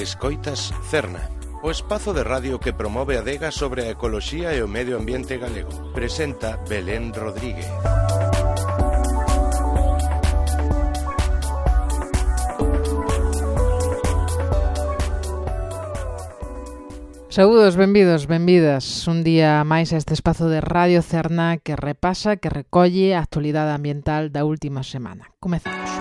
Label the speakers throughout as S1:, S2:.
S1: Escoitas Cerna, o espazo de radio que promove a adega sobre a ecoloxía e o medio ambiente galego. Presenta Belén Rodríguez.
S2: Saúdos, benvidos, benvidas. Un día máis a este espazo de Radio Cerna que repasa, que recolle a actualidade ambiental da última semana. Comezamos.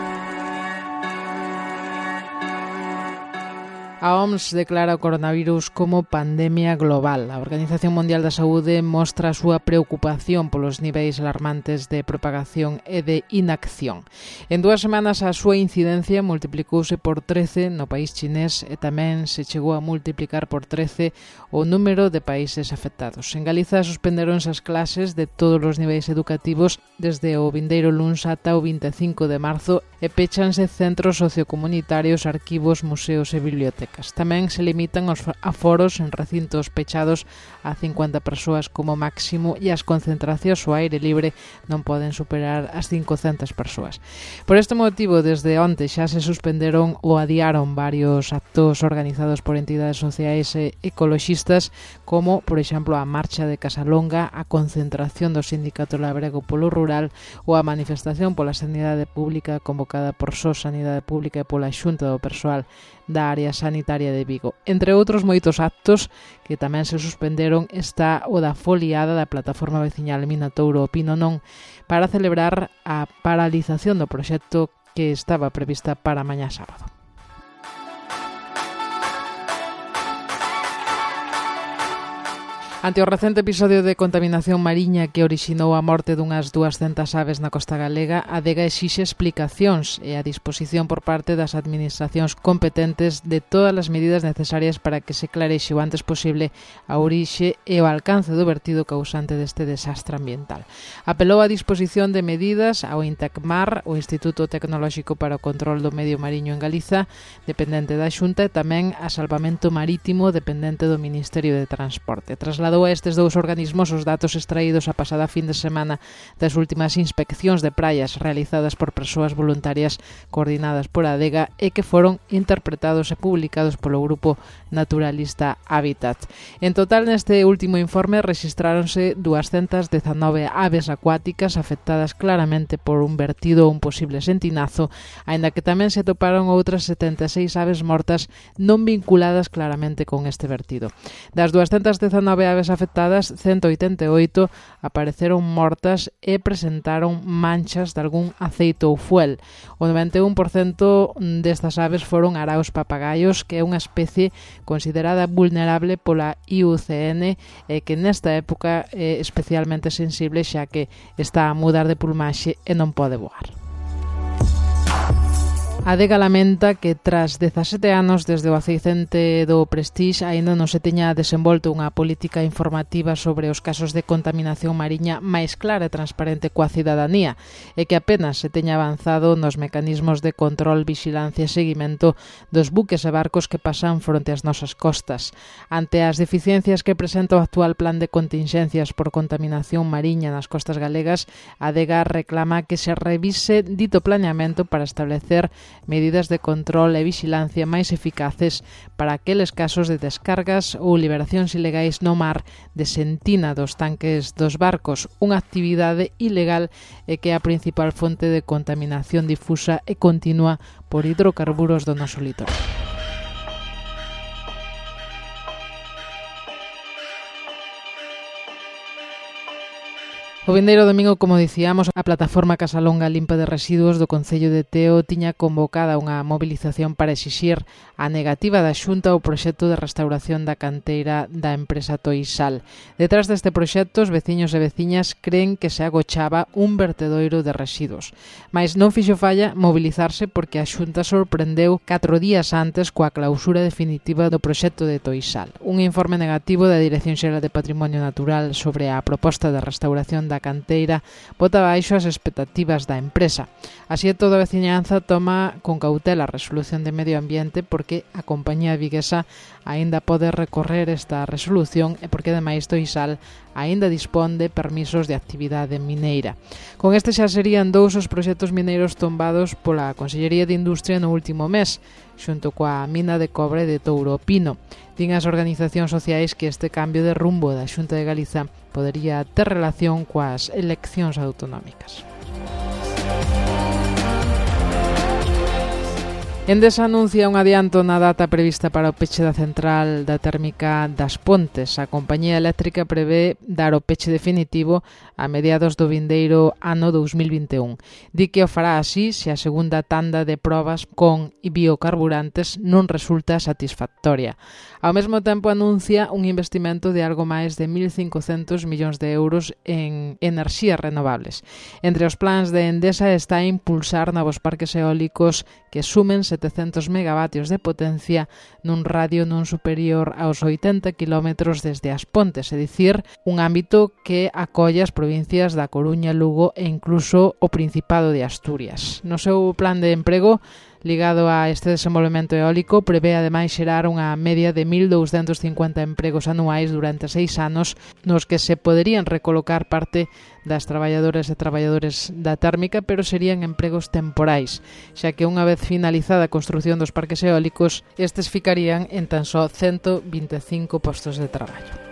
S2: A OMS declara o coronavirus como pandemia global. A Organización Mundial da Saúde mostra a súa preocupación polos niveis alarmantes de propagación e de inacción. En 2 semanas a súa incidencia multiplicouse por 13 no país chinés e tamén se chegou a multiplicar por 13 o número de países afectados. En Galiza suspenderonse as clases de todos os niveis educativos desde o vindeiro luns ata o 25 de marzo e pechanse centros sociocomunitarios, arquivos, museos e bibliotecas. Tamén se limitan os aforos en recintos pechados a 50 persoas como máximo e as concentracións ao aire libre non poden superar as 500 persoas. Por este motivo, desde onte xa se suspenderon ou adiaron varios actos organizados por entidades sociais e ecoloxistas, como, por exemplo, a marcha de Casalonga, a concentración do Sindicato Labrego polo Rural ou a manifestación pola sanidade pública convocada por SOS Sanidade Pública e pola Xunta do Persoal da área sanitaria de Vigo. Entre outros moitos actos que tamén se suspenderon está o da foliada da plataforma veciñal Minatouro Opino Non para celebrar a paralización do proxecto que estaba prevista para mañá sábado. Ante o recente episodio de contaminación mariña que orixinou a morte dunhas 200 aves na costa galega, a adega exixe explicacións e a disposición por parte das administracións competentes de todas as medidas necesarias para que se clarexe o antes posible a orixe e o alcance do vertido causante deste desastre ambiental. Apelou a disposición de medidas ao Intecmar, o Instituto Tecnolóxico para o Control do Medio Mariño en Galiza, dependente da Xunta, e tamén a Salvamento Marítimo, dependente do Ministerio de Transporte. Trasladou a estes dous organismos os datos extraídos a pasada fin de semana das últimas inspeccións de praias realizadas por persoas voluntarias coordinadas por a adega e que foron interpretados e publicados polo grupo naturalista Hábitat. En total, neste último informe rexistráronse 219 aves acuáticas afectadas claramente por un vertido ou un posible sentinazo, aínda que tamén se atoparon outras 76 aves mortas non vinculadas claramente con este vertido. Das 219 aves afectadas, 188 apareceron mortas e presentaron manchas de algún aceite ou fuel. O 91% destas aves foron araos papagaios, que é unha especie considerada vulnerable pola IUCN e que nesta época é especialmente sensible xa que está a mudar de plumaxe e non pode voar. A adega lamenta que tras 17 anos desde o accidente do Prestige aínda non se teña desenvolto unha política informativa sobre os casos de contaminación mariña máis clara e transparente coa cidadanía e que apenas se teña avanzado nos mecanismos de control, vixilancia e seguimento dos buques e barcos que pasan fronte ás nosas costas. Ante as deficiencias que presenta o actual plan de contingencias por contaminación mariña nas costas galegas, a adega reclama que se revise dito planeamento para establecer medidas de control e vixilancia máis eficaces para aqueles casos de descargas ou liberacións ilegais no mar de sentina dos tanques dos barcos, unha actividade ilegal e que é a principal fonte de contaminación difusa e continua por hidrocarburos do noso litoral. O vindeiro domingo, como dicíamos, a plataforma Casalonga Limpa de Residuos do Concello de Teo tiña convocada unha movilización para exixir a negativa da Xunta ao proxecto de restauración da canteira da empresa Toisal. Detrás deste proxecto, os veciños e veciñas creen que se agochaba un vertedoiro de residuos. Mais non fixo falla mobilizarse porque a Xunta sorprendeu 4 días antes coa clausura definitiva do proxecto de Toisal. Un informe negativo da Dirección Xeral de Patrimonio Natural sobre a proposta de restauración da canteira bota baixo as expectativas da empresa. Así e todo, a veciñanza toma con cautela a resolución de medio ambiente porque a compañía viguesa aínda pode recorrer esta resolución e porque ademais Toisal aínda dispón de permisos de actividade mineira. Con este xa serían 2 os proxectos mineiros tombados pola Consellería de Industria no último mes. xunto coa mina de cobre de Touro Pino. Din as organizacións sociais que este cambio de rumbo da Xunta de Galiza podería ter relación coas eleccións autonómicas. Endesa anuncia un adianto na data prevista para o peche da central da térmica das Pontes. A compañía eléctrica prevé dar o peche definitivo a mediados do vindeiro ano 2021. Di que o fará así se a segunda tanda de probas con biocarburantes non resulta satisfactoria. Ao mesmo tempo anuncia un investimento de algo máis de 1.500 millóns de euros en enerxías renovables. Entre os plans de Endesa está impulsar novos parques eólicos que sumen 700 megavatios de potencia nun radio non superior aos 80 kilómetros desde as Pontes, é dicir, un ámbito que acolle as provincias da Coruña, Lugo e incluso o Principado de Asturias. No seu plan de emprego ligado a este desenvolvemento eólico, prevé ademais xerar unha media de 1.250 empregos anuais durante 6 anos, nos que se poderían recolocar parte das traballadoras e traballadores da térmica, pero serían empregos temporais, xa que unha vez finalizada a construción dos parques eólicos, estes ficarían en tan só 125 postos de traballo.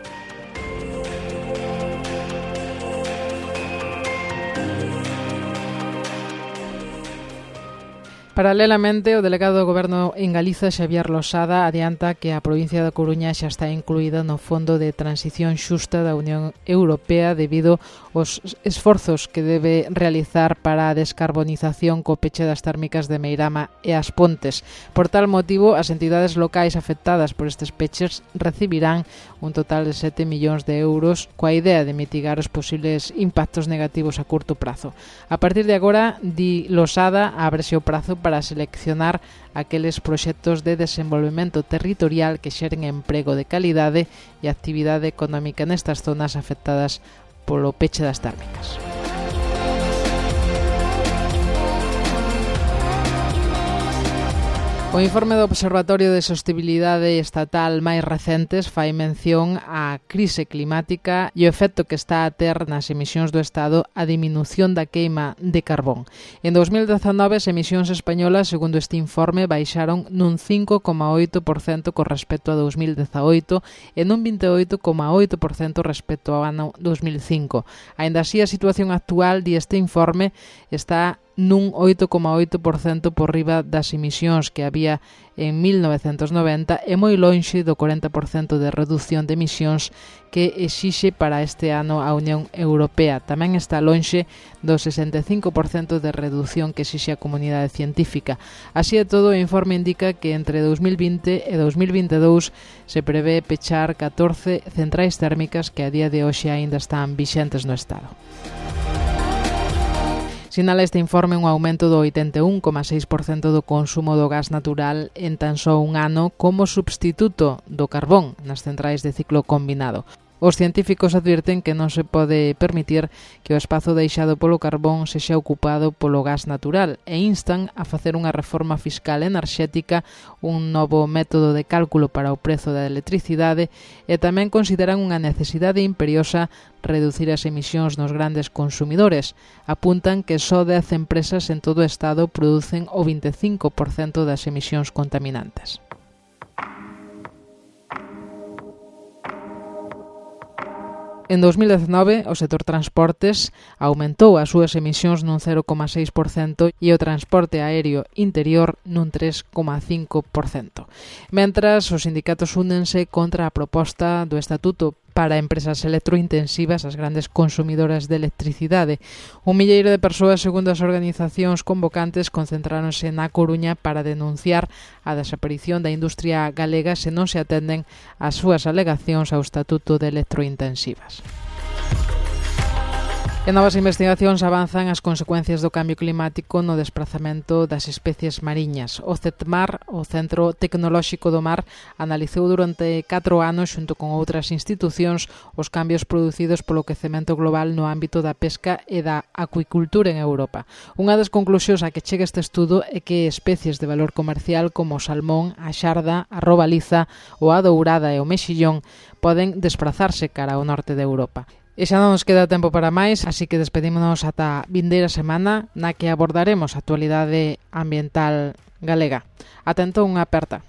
S2: Paralelamente, o delegado do Goberno en Galiza, Xavier Losada, adianta que a provincia da Coruña xa está incluída no Fondo de Transición Xusta da Unión Europea debido aos esforzos que debe realizar para a descarbonización co peche das térmicas de Meirama e as Pontes. Por tal motivo, as entidades locais afectadas por estes peches recibirán un total de 7 millóns de euros coa idea de mitigar os posibles impactos negativos a curto prazo. A partir de agora, di Losada, ábrese o prazo para seleccionar aqueles proxectos de desenvolvemento territorial que xeren emprego de calidade e actividade económica nestas zonas afectadas polo peche das térmicas. O informe do Observatorio de Sostibilidade Estatal máis recentes fai mención á crise climática e o efecto que está a ter nas emisións do Estado a diminución da queima de carbón. En 2019, as emisións españolas, segundo este informe, baixaron nun 5,8% con respecto a 2018 e nun 28,8% respecto ao ano 2005. Aínda así, a situación actual, di este informe, está nun 8,8% por riba das emisións que había en 1990 e moi lonxe do 40% de reducción de emisións que exixe para este ano a Unión Europea. Tamén está lonxe do 65% de reducción que exixe a comunidade científica. Así e todo, o informe indica que entre 2020 e 2022 se prevé pechar 14 centrais térmicas que a día de hoxe aínda están vixentes no Estado. Sinala este informe un aumento do 81,6% do consumo do gas natural en tan só un ano como substituto do carbón nas centrais de ciclo combinado. Os científicos advirten que non se pode permitir que o espazo deixado polo carbón sexa ocupado polo gas natural e instan a facer unha reforma fiscal enerxética, un novo método de cálculo para o prezo da electricidade e tamén consideran unha necesidade imperiosa reducir as emisións nos grandes consumidores. Apuntan que só 10 empresas en todo o Estado producen o 25% das emisións contaminantes. En 2019, o sector transportes aumentou as súas emisións nun 0,6% e o transporte aéreo interior nun 3,5%. Mentras, os sindicatos únense contra a proposta do Estatuto para empresas electrointensivas, as grandes consumidoras de electricidade. Un milleiro de persoas, segundo as organizacións convocantes, concentráronse na Coruña para denunciar a desaparición da industria galega se non se atenden as súas alegacións ao Estatuto de electrointensivas. E novas investigacións avanzan as consecuencias do cambio climático no desprazamento das especies mariñas. O CETMAR, o Centro Tecnolóxico do Mar, analizou durante 4 anos, xunto con outras institucións, os cambios producidos polo quecemento global no ámbito da pesca e da acuicultura en Europa. Unha das conclusións a que chega este estudo é que especies de valor comercial como o salmón, a xarda, a robaliza, o a dourada e o mexillón poden desprazarse cara ao norte de Europa. E xa non nos queda tempo para máis, así que despedímonos ata a vindeira semana na que abordaremos a actualidade ambiental galega. Ata entón, unha aperta.